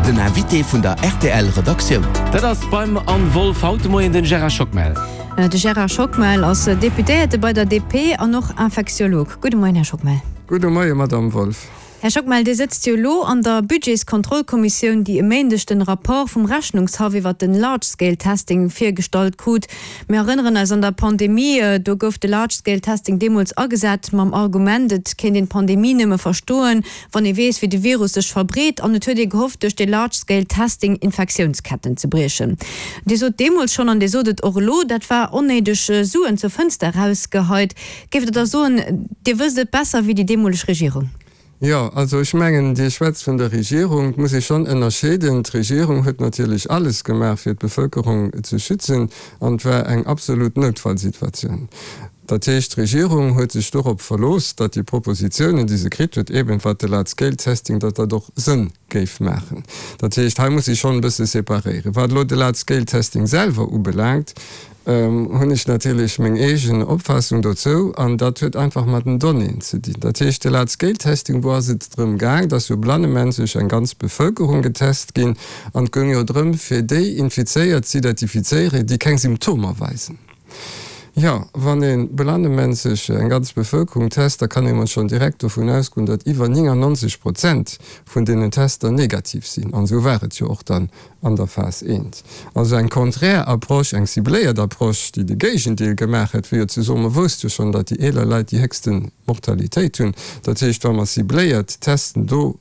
Den Invité vun der rtl Redaktioun. Dat ass beim Anne Wolff haut de Moien den Gérard Schockmel. De Gérard Schockmel ass Deputéierte bei der DP an och Infektiolog. Gudde Moien, Här Schockmel. Gudde Moie, Madamm Wolff. Här Schockmel, Dir sëtzt jo elo an der Budgetskontrollkommissioun, déi e Méindeg den Rapport vum Rechnungshaff iwwert den Large Scale Testing virgestallt krut. Mir erënneren eis, an der Pandemie, do gouf de Large Scale Testing deemools agesat mam Argument, et kéint een d'Pandemie nëmme verstoen, wann ee weess, wéi de Virus sech verbreet. An et huet ee gehofft, duerch de Large Scale Testing Infektiounsketten ze briechen. Dir sot deemools schonn, an Dir sot et och elo, dat war onnéideg Suen zur Fënster erausgeheit. Géift Der da soen, Dir wësst et besser wéi déi deemoleg Regierung? Jo, also ech mengen, Dir schwätzt vun der Regierung. Et muss ee schonn ënnerscheeden. D'Regierung huet natierlech alles gemaach, fir d'Bevëlkerung ze schützen, an et war eng absolut Noutfallsituatioun. Dat heescht, d'Regierung huet sech dorop verlooss, datt déi Propositionen, déi se kritt huet, eeben wat de Large-Scale-Testing, datt dat och Sënn géif maachen. Dat heescht, hei muss ee schonn e bësse separéieren. Wat elo de Large-Scale-Testing selwer ubelaangt, hunn ech natierlech meng eegen Opfaassung dozou, an dat huet einfach mat den Donnéeën ze dinn. Dat heescht, de Large-Scale-Testing, wou ass et drëm gaang, dass jo blannemännzeg eng ganz Bevëlkerung getest ginn, an et goung jo drëm, fir déi Infizéiert z'identifizéieren, déi keng Symptomer weisen. Jo, wann ee blannemännzeg eng ganz Bevëlkerung test, da kann ee mol schonn direkt dovun ausgoen, datt iwwer 99 Prozent vun deenen Tester negativ sinn. An esou war et jo och dann an der Phas I. Also eng konträr Approche, eng cibléiert Approche, déi de Géigendeel gemaach hätt, wéi jo ze soen, mer wousste jo schonn, datt déi eeler Leit déi héchste Mortalitéit hunn. Dat heescht, wa mer cibléiert testen do,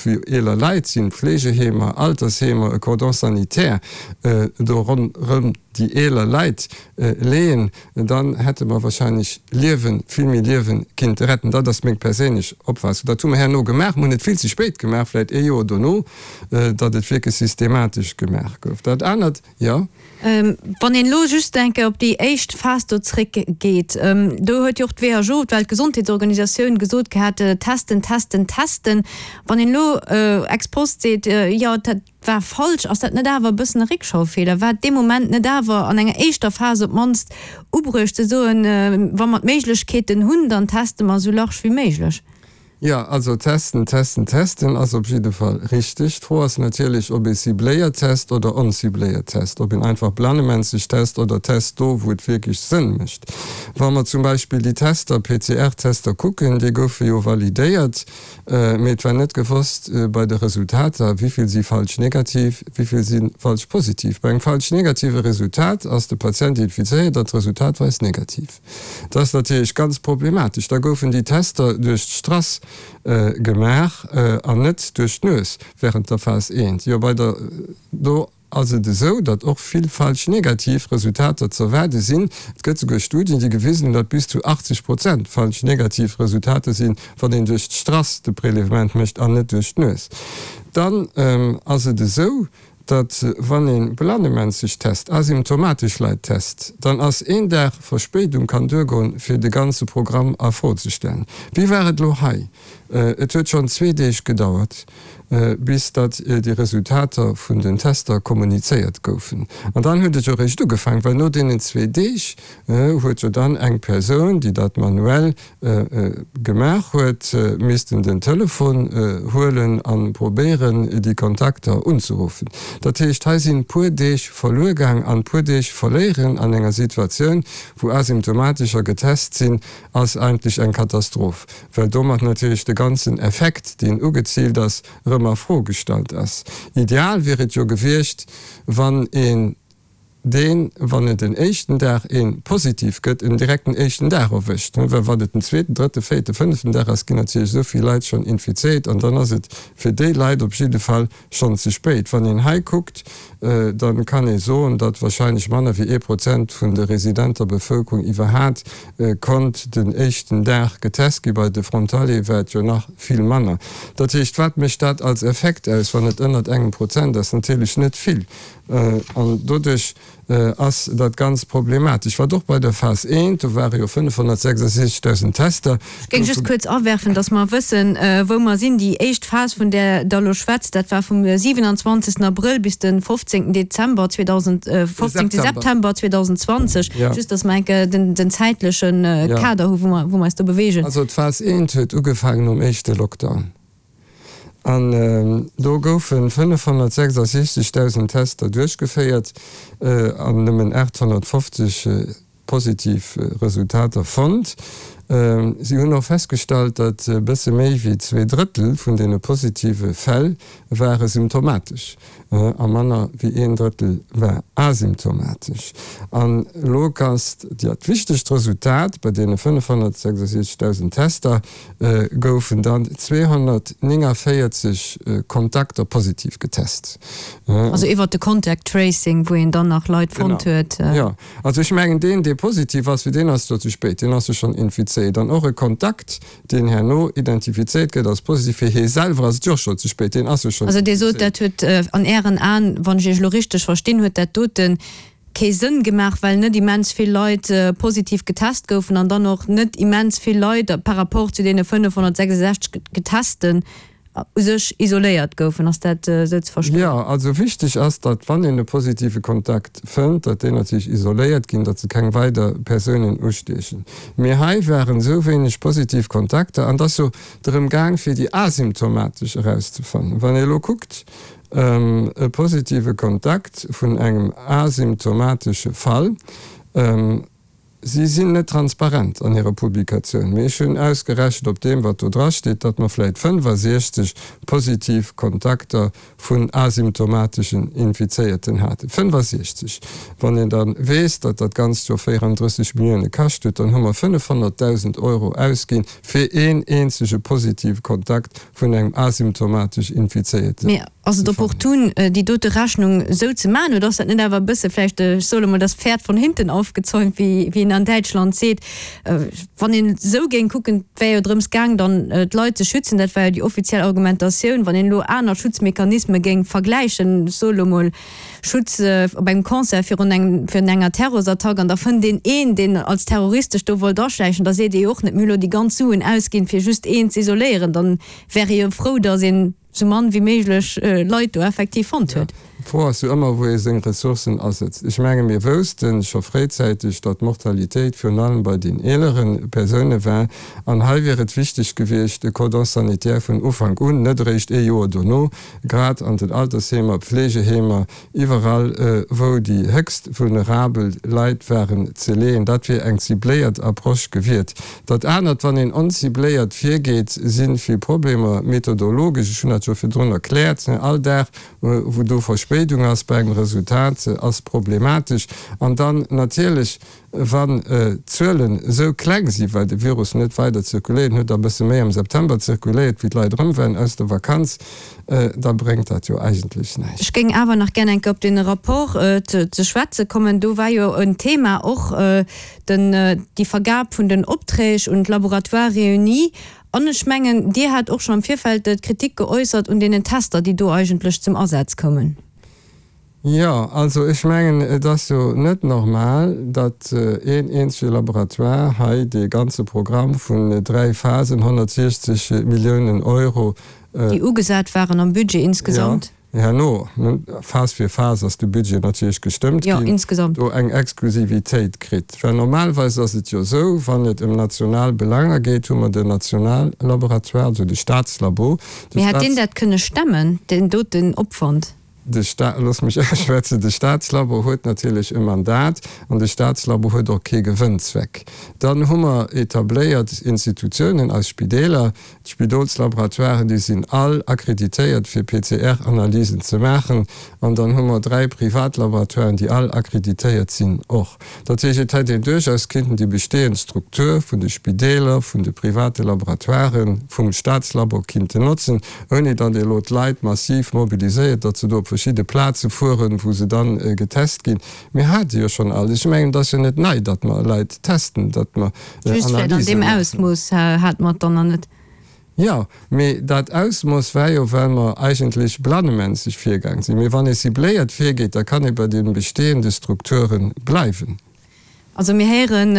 wou eeler Leit sinn, Pflegeheemer, Altersheemer, e Cordon sanitaire do ronderëm déi eeler Leit leeën, dann hätte mer wahrscheinlech Liewen, vill méi Liewen kinnte retten. Dat ass meng perséinlech Opfaassung. Dat hu mer herno gemaach. Mer hunn et vill ze spéit gemaach, vläicht ee Joer dono, datt et wierklech systematesch gemaach gouf. Dat anert, jo. Wann een elo just eng Kéier op déi éischt Phas do zréckgeet, do huet jo och d'WHO, d'Weltgesondheetsorganisatioun, gesot gehat, testen, testen, testen. Wann een elo ex post seet, jo, dat war falsch, ass dat net awer e bëssen e Réckschaufeeler? War et dee Moment net awer an enger éischter Phas op d'mannst ubruecht ze soen, wa mer d'Méiglechkeeten hunn, dann teste mer esou large wéi méiglech? Jo, also testen, testen, testen ass op jidde Fall richteg. D'Fro ass natierlech, ob ee cibléiert test oder oncibléiert test, ob een einfach blanemänzeg test oder test do, wou et wierklech Sënn mécht. Wa mer zum Beispill déi Tester, PCR-Tester kucken, déi goufe jo validéiert, mee et war net gewosst bei de Resultater, wéi vill si falsch negativ, wéi vill si falsch positiv. Bei engem falsch negative Resultat ass de Patient infizéiert an d'Resultat weist negativ. Dat ass natierlech ganz problematesch. Da goufen déi Tester duerch d'Strass gemaach an net duerch d'Nues während der Phas I. Jo, bei der do ass et esou, datt och vill falsch negativ Resultater z'erwaarde sinn. Et gëtt souguer Studien, déi gewisen hunn, datt bis zu 80 Prozent falsch negativ Resultater sinn, wann een duerch d'Strass de Prélèvement mécht an net duerch d'Nues. Dann ass et esou, datt wann ee blannemänzeg test, asymptomatesch Leit test, dann ass een Dag Verspéidung kann duergoen, fir de ganze Programm a Fro ze stellen. Wéi war et elo hei? Et huet schonn zwee Deeg gedauert, bis datt déi Resultater vun den Tester kommunizéiert goufen. An dann huet et jo eréischt ugefaangen, well no deenen zwee Deeg huet jo dann eng Persoun, déi dat manuell gemaach huet, missten den Telefon huelen a probéieren, déi Kontakter unzeruffen. Dat heescht, hei sinn puer Deeg verluer gaang an puer Deeg verléieren an enger Situatioun, wou Asymptomatescher getest sinn, ass eigentlech eng Katastroph, well domat natierlech de ganzen Effekt, deen ugeziilt ass, erëm a Fro gestallt ass. Ideal wier et jo gewiescht, wann een deen, wann et en éischten Dag ee positiv gëtt, en direkt den éischten Dag erwëscht, well wann et den zweeten, drëtten, véierten, fënneften Dag ass, ginn natierlech esou vill Leit schonn infizéiert an dann ass et fir déi Leit op jidde Fall schonn ze spéit. Wann een hei kuckt, da kann ee soen, datt wahrscheinlech manner wéi ee Prozent vun der residenter Bevëlkerung iwwerhat konnt den éischten Dag getest ginn. Bei de Frontaliere war et jo nach vill manner. Dat heescht, wat mécht dat als Effekt aus, wann et ënnert engem Prozent ass? Natierlech net vill. An doduerch ass dat ganz problematesch. Wat och bei der Phas I, do ware jo 566.000 Tester. Ech géing just kuerz awerfen, dass mer wëssen, wou mer sinn. Déi éischt Phas, vun där Der elo schwätzt, dat war vum 27. Abrëll bis de 15. Dezember 15. September 2020. Just, dass mer eng Kéier den zäitleche Kader hu wou mer eis do beweegen. Also d'Phas I huet ugefaangen nom éischte Lockdown. An do goufe 566.000 Tester duerchgeféiert an nëmmen 850 positiv Resultater fonnt. Si hunn och festgestallt, datt e bësse méi wéi 2 Drëttel vun deene positive Fäll ware symptomatesch a manner wéi een Drëttel war asymptomatesch. An elo ass dat wichtegst Resultat, Bei deene 566.000 Tester goufen dann 249 Kontakter positiv getest. Also iwwert de Contact Tracing, wou een dann nach Leit fonnt huet. Genau, jo. Also ech mengen, deen, dee positiv ass, fir deen ass et jo ze spéit, deen ass jo schonn infizéiert. An och e Kontakt, deen herno identifizéiert gëtt als positiv, fir hie selwer ass et jo och schonn ze spéit, deen ass jo schonn Also Dir sot, dat huet an Ären Aen, wann ech Iech elo richteg verstinn, huet dat dote kee Sënn gemaach, well net immens vill Leit positiv getest goufen an dann och net immens vill Leit par rapport zu deene 566 Getesten u sech isoléiert goufen. Ass dat esou ze verstoen? Jo, also wichteg ass, datt wann een e positive Kontakt fënnt, datt déi natierlech isoléiert ginn, datt se keng weider Persounen ustiechen. Mee hei waren esou wéineg positiv Kontakter an et ass jo drëm gaang fir déi asymptomatesch erauszefannen. Wann ee elo kuckt, e positive Kontakt vun engem asymptomatesche Fall, Si sinn net transparent an hirer Publikatioun, mee ech hunn ausgerechent op deem, wat do drasteet, datt mer vläit 65 positiv Kontakter vun asymptomateschen Infizéierten haten. 65! Wann een da weess, datt dat Ganzt jo 34 Millioune kascht huet, dann hu mer 500.000 Euro ausginn fir een eenzege positive Kontakt vun engem asymptomatesch Infizéierten. Mee ass et opportun, déi dote Rechnung esou ze maachen, oder ass dat net awer e bësse vläicht, ech soe lo mol, das Pferd von hinten aufgezäumt, wéi een an Däitschland seet? Wann een esou géing kucken, et wär jo drëms gaang, dann d'Leit ze schützen, dat war jo déi offiziell Argumentatioun. Wann een elo aner Schutzmechanisme géing vergläichen, ech soe lo mol, Schutz op engem Concert virun engem, virun enger Terrorsattack an da fënnt een een, deen als Terrorist sech do wollt aschläichen, da seet ee jo och net, mir hu lo déi ganz Suen ausginn, fir just een z'isoléieren. Dann wär ee jo frou, datt een sou mann wéi méiglech Leit do effektiv fonnt huet. D'Fro ass jo ëmmer, wou ee seng Ressourcen asetzt. Ech menge mir wousste scho fréizäiteg, datt d'Mortalitéit virun allem bei den eelere Persoune war. An hei wier et wichteg gewiescht, e Cordon sanitaire vun Ufank un, net eréischt ee Joer dono, grad an den Altersheemer, Pflegeheemer, iwwerall wou déi héchst vulnerabel Leit waren, ze leeën. Dat wier eng cibléiert Approche gewiert. Dat anert, wann een oncibléiert virgeet, si vill Problemer methodologesch. Ech hunn dat jo virdrun erkläert. All Dag, wou do Verspéidung ass bei engem Resultat, ass problematesch. An dann natierlech, Wann d'Zuelen esou kleng sinn, well de Virus net weider zirkuléiert, en huet da e bësse méi am September zirkuléiert, wéi d'Leit erëm waren aus der Vakanz, da bréngt dat jo eigentlech näischt. Ech géing awer nach gär eng Kéier op dee Rapport ze schwätze kommen. Do war jo en Thema och den, déi Vergab vun den Opträg un d'Laboratoires réunis. An ech mengen, Dir hat och scho am Virfeld d'Kritik geäussert un deenen Tester, déi do eigentlech zum Asaz koumen. Jo, also ech mengen, et ass jo net normal, datt een eenzege Laboratoire hei dee ganze Programm vun 3 Phasen, 160 Milliounen Euro, Déi ugesat waren am Budget insgesamt. Jo, herno, Phas fir Phas ass de Budget natierlech gestëmmt ginn, do eng Exklusivitéit kritt. Well normalerweis ass et jo esou, wann et ëm national Belanger geet, hu mer den Nationallaboratoire, also de Staatslabo. Mee hätt deen dat kënne stemmen, deen doten Opwand? De Sta, looss mech ausschwätzen, de Staatslabo huet natierlech e Mandat an de Staatslabo huet och kee Gewënnzweck. Dann hu mer etabléiert Institutiounen, eis Spideeler, d'Spidolslaboratoiren, déi sinn all akkreditéiert fir PCR-Analysen ze maachen. An dann hu mer 3 Privatlaboratoiren, déi all akkreditéiert sinn och. Dat heescht, et hätt een duerchaus kinnten déi bestehend Struktur vun de Spideeler, vun de private Laboratoiren, vum Staatslabo kinnten notzen, ouni datt ee elo d'Leit massiv mobiliséiert, datt se do op verschidde Plaze fueren, wou se dann getest ginn. Mir hate jo schonn alles. Ech mengen, et ass jo net nei, datt mer Leit testen, datt mer Just vläicht an Analyse deem maachen. Ausmooss hate mer et dann nach net. Jo, mee dat Ausmooss war jo, well mer eigentlech blannemännzeg virgaang sinn. Mee wann ee cibléiert virgeet, da kann ee bei de bestehende Strukture bleiwen. Also mir héieren,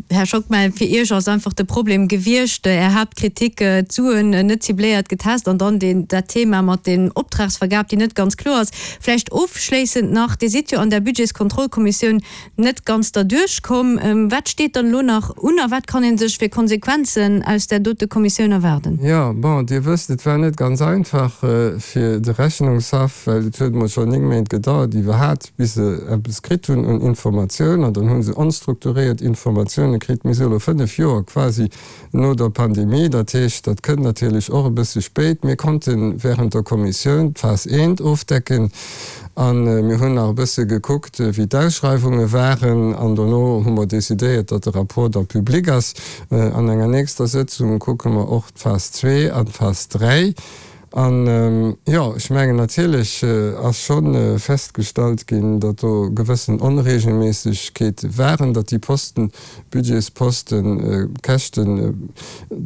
Här Schockmel, fir Iech ass einfach de Problem gewiescht, Är Haaptkritik, d'Suen net cibléiert getest an dann deen, dat Thema mat den Optragsvergab, déi net ganz kloer ass. Vläicht ofschléissend nach, Dir sidd jo an der Budgetskontrollkommissioun net ganz derduerch komm. Wat steet dann elo nach un a wat kann ee sech fir Konsequenzen aus där dote Kommissioun erwaarden? Jo, bon, Dir wësst, et war net ganz einfach fir de Rechnungshaff, well et huet emol schonn 9 Méint gedauert iwwerhat, bis se eppes kritt hunn un Informatioun, an dann hu se onstrukturéiert Informatioune kritt. Mir si elo 5 Joer quasi no der Pandemie, dat heescht, dat kënnt natierlech och e bësse spéit. Mir konnte während der Kommissioun d'Phas eent ofdecken a mir hunn nach e bësse gekuckt, wéi d'Ausschreiwunge waren, an dono hu mer decidéiert, datt de Rapport da public ass. An enger nächster Sëtzung kucke mer och d'Phas zwee an d'Phas dräi. An, jo, ech mengen, natierlech ass scho festgestallt ginn, datt do gewëssen Onregelméissegkeete waren, datt déi Posten, Budgetsposten, Käschten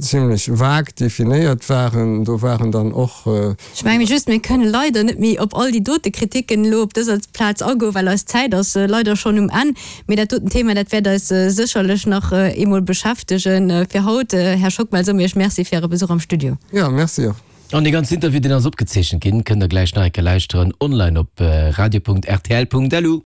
zimlech vague definéiert waren. Do waren dann och. Ech menge just, mir kënnen leider net méi op all déi dote Kriticken elo op dëser Plaz agoen, well eis Zäit ass leider schonn um Enn. Mee dat doten Thema, dat wäert eis sécherlech nach eemol beschäftegen. Fir haut, Här Schockmel, soe mir Iech Merci fir Äre Besuch am Studio. Jo, Merci och. An dee ganzen Interview, deen ass opgezeechent ginn, kënnt der gläich nach eng Kéier lauschteren online op radio.rtl.lu.